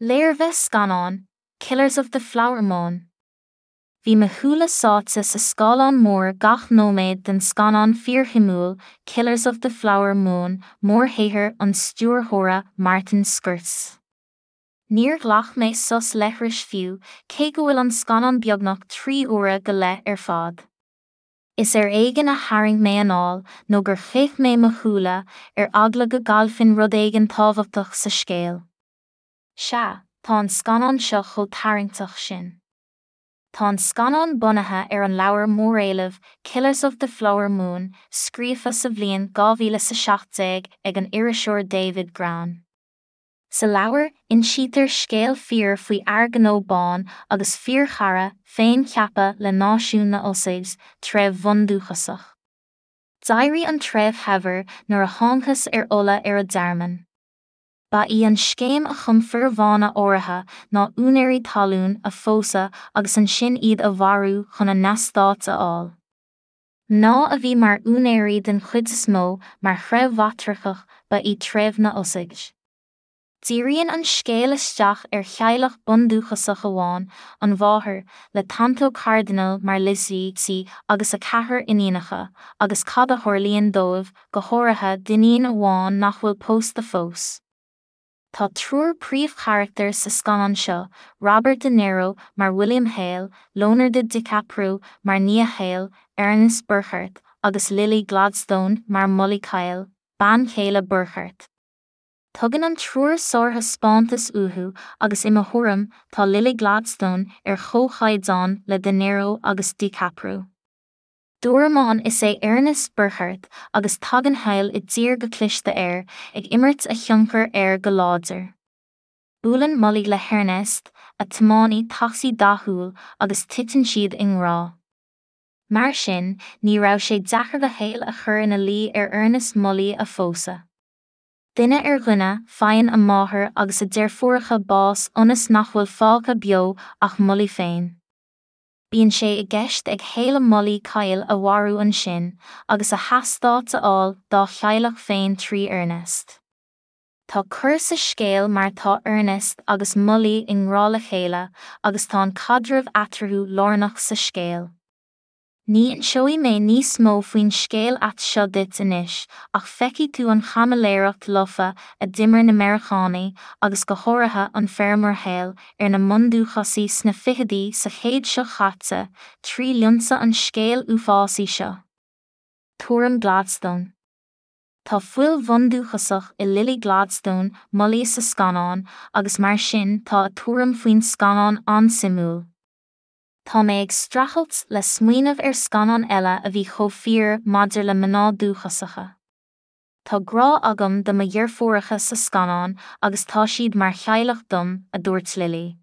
Léirmheas scannáin, Killers of the Flower Moon. Bhí mo shúile sáite sa scáileán mór gach nóiméad den scannán fíorshuimiúil Killers of the Flower Moon, mórshaothar an stiúrthóra Martin Scorsese. Níor ghlac mé sos leithris fiú, cé go bhfuil an scannán beagnach 3 huaire go leith ar fad. Is ar éigean a tharraing mé anáil nó gur chaith mé mo shúile, ar eagla go gcaillfinn rud éigin tábhachtach sa scéal. Sea, tá an scannán seo chomh tarraingteach sin. Tá an scannán bunaithe ar an leabhar móréilimh Killers of the Flower Moon, scríofa sa bhliain 2017 ag an iriseoir David Grann. Sa leabhar, insítear scéal fíor faoi fhear gnó bán agus fíorchara féincheaptha le náisiún na Osage, treibh bhundúchasach. D'éirigh an treibh shaibhir nuair a thángthas ar ola ar a dtearmann. Ba í an scéim a chum fir bhána áirithe ná úinéirí talún a phósadh agus ansin iad a mharú chun a n-eastáit a fháil. Mná a bhí mar úinéirí den chuid is mó mar threibh mhatrarcach ba í treibh na Osage. Díríonn an scéal isteach ar theaghlach bundúchasach amháin, an mháthair, le Tantoo Cardinal mar Lizzie agus a ceathrar iníonacha, agus cad a tharlaíonn dóibh, go háirithe d'iníon amháin nach bhfuil pósta fós. Tá triúr príomhcharachtar sa scannán seo, Robert De Niro mar William Hale, Leonardo DiCaprio mar nia Hale, Ernest Burkhart, agus Lily Gladstone mar Molly Kyle, bean chéile Burkhart. Tugann an triúr sárthaispeántas uathu agus i mo thuairim tá Lily Gladstone ar chomhchaighdeán le De Niro agus DiCaprio. Dúramán is ea Ernest Burkhart agus tagann Hale i dtír go cliste air, ag imirt a thionchar air go láidir. Buaileann Molly le hErnest, a tiománaí tacsaí dathúil, agus titeann siad i ngrá. Mar sin, ní raibh sé deacair do Hale a chur ina luí ar Ernest Molly a phósadh. Duine ar dhuine, faigheann a máthair agus a deirfiúracha bás ionas nach bhfuil fágtha beo ach Molly féin. Bíonn sé i gceist ag Hale Molly Kyle a mharú ansin, agus a heastát a fháil dá theaghlach féin trí Ernest. Tá cor sa scéal mar tá Ernest agus Molly i ngrá le chéile agus tá an caidreamh eatarthu lárnach sa scéal. Ní inseoidh mé níos mó faoin scéal ait seo duit anois ach feicfidh tú an chaimiléireacht lofa a d'imir na Meiriceánaigh, agus go háirithe an feirmeoir Hale, ar na mbundúchasaigh sna fichidí sa chéad seo chaite, trí lionsa an scéil uafásaigh seo. Tuairim Gladstone. Tá fuil bhundúchasach i Lily Gladstone, Molly sa scannán, agus mar sin tá a tuairim faoin scannán an-suimiúil. Tá mé ag streachailt le smaoineamh ar scannán eile a bhí chomh fíor maidir le mná dúchasacha. Tá grá agam do mo dheirfiúracha sa scannán agus tá siad mar theaghlach dom, a dúirt Lily.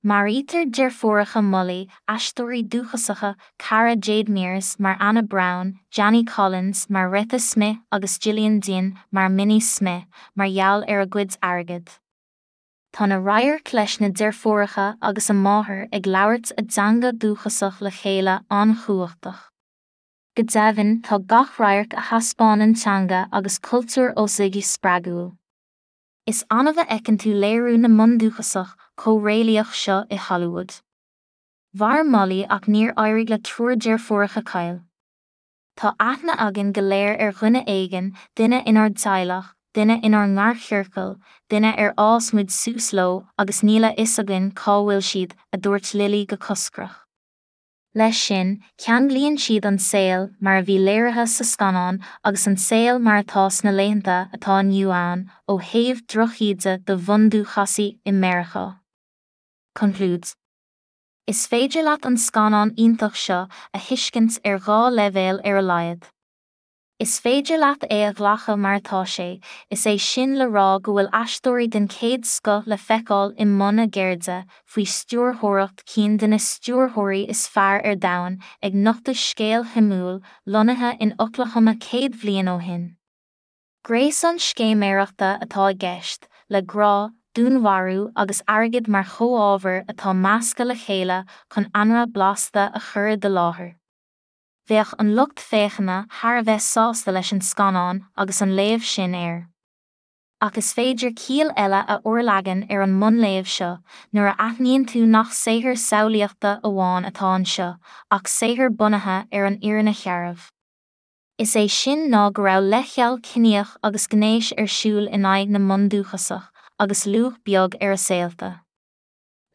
Maraítear deirfiúracha Molly, aisteoirí dúchasacha Cara Jade Mears mar Anna Brown, Janie Collins mar Retha Smith agus Gillian Dinn mar Minnie Smith, mar gheall ar a gcuid airgid. Tá na radhairc leis na deirfiúracha agus a máthair ag labhairt a dteanga dúchasach le chéile an-chumhachtach. Go deimhin, tá gach radharc a thaispeánann teanga agus cultúr Osage spreagúil. Is annamh a fheiceann tú léiriú na mbundúchasach chomh réalaíoch seo i Hollywood. Mhair Molly ach níor éirigh le triúr deirfiúracha Kyle. Tá aithne againn go léir ar dhuine éigin, duine inár dteaghlach, duine inár ngarchiorcal, duine ar fhás muid suas leo agus níl a fhios againn cá bhfuil siad, a dúirt Lily go coscrach. Leis sin, ceanglaíonn siad an saol mar a bhí léirithe sa scannán agus an saol mar atá sna laethanta atá inniu ann ó thaobh drochíde do bhundúchasaigh i Meiriceá. Concludes. Is féidir leat an scannán iontach seo a thuiscint ar dhá leibhéal ar a laghad. Is féidir leat é a ghlacadh mar atá sé, is é sin le rá go bhfuil aisteoirí den chéad scoth le feiceáil i mbun a gceirde, faoi stiúrthóireacht cinn de na stiúrthóirí is fearr ar domhan, ag nochtadh scéal shuimiúil, lonnaithe in Oklahoma 100 bhliain ó shin. Gréasán scéiméireachta atá i gceist, le grá, dúnmharú agus airgead mar chomhábhair atá measctha le chéile chun anraith blasta a chur i do láthair. Bheadh an lucht féachana thar a bheith sásta leis an scannán agus an léamh sin air. Ach is féidir ciall eile a fhorleagan ar an mbunléamh seo nuair a aithníonn tú nach saothar samhlaíochta amháin atá anseo ach saothar bunaithe ar an fhírinne shearbh. Is é sin ná go raibh leithcheal ciníoch agus gnéis ar siúl in aghaidh na mbundúchasach agus luach beag ar a saolta.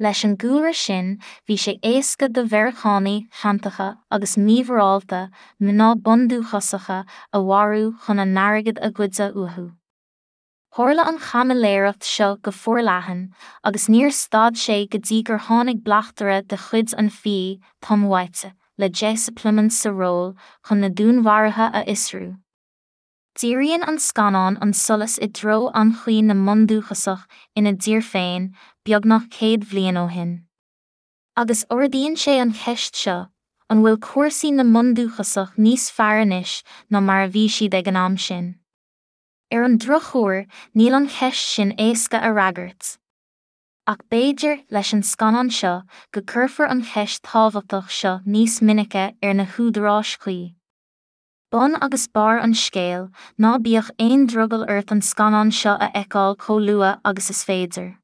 Leis an gcúlra sin bhí sé éasca do Mheiriceánaigh shantacha agus mímhorálta mná bundúchasacha a mharú chun a n-airgead a ghoideadh uathu. Tharla an chaimiléireacht seo go forleathan, agus níor stad sé go dtí gur tháinig bleachtaire de chuid an fbi, Tom White, le Jesse Plemons sa ról, chun na dúnmharuithe a fhiosrú. Díríonn an scannán an solas i dtreo anchaoi na mbundúchasach ina dtír féin, beagnach 100 bhliain ó shin. Agus ardaíonn sé an cheist seo, an bhfuil cúrsaí na mbundúchasach níos fearr anois ná mar a bhí siad ag an am sin? Ar an drochuair, níl an cheist sin éasca a fhreagairt. Ach b'fhéidir, leis an scannán seo, go gcuirfear an cheist thábhachtach seo níos minice ar na húdaráis chuí. Bun agus barr an scéil, ná bíodh aon drogall ort an scannán seo a fheiceáil chomh luath agus is féidir.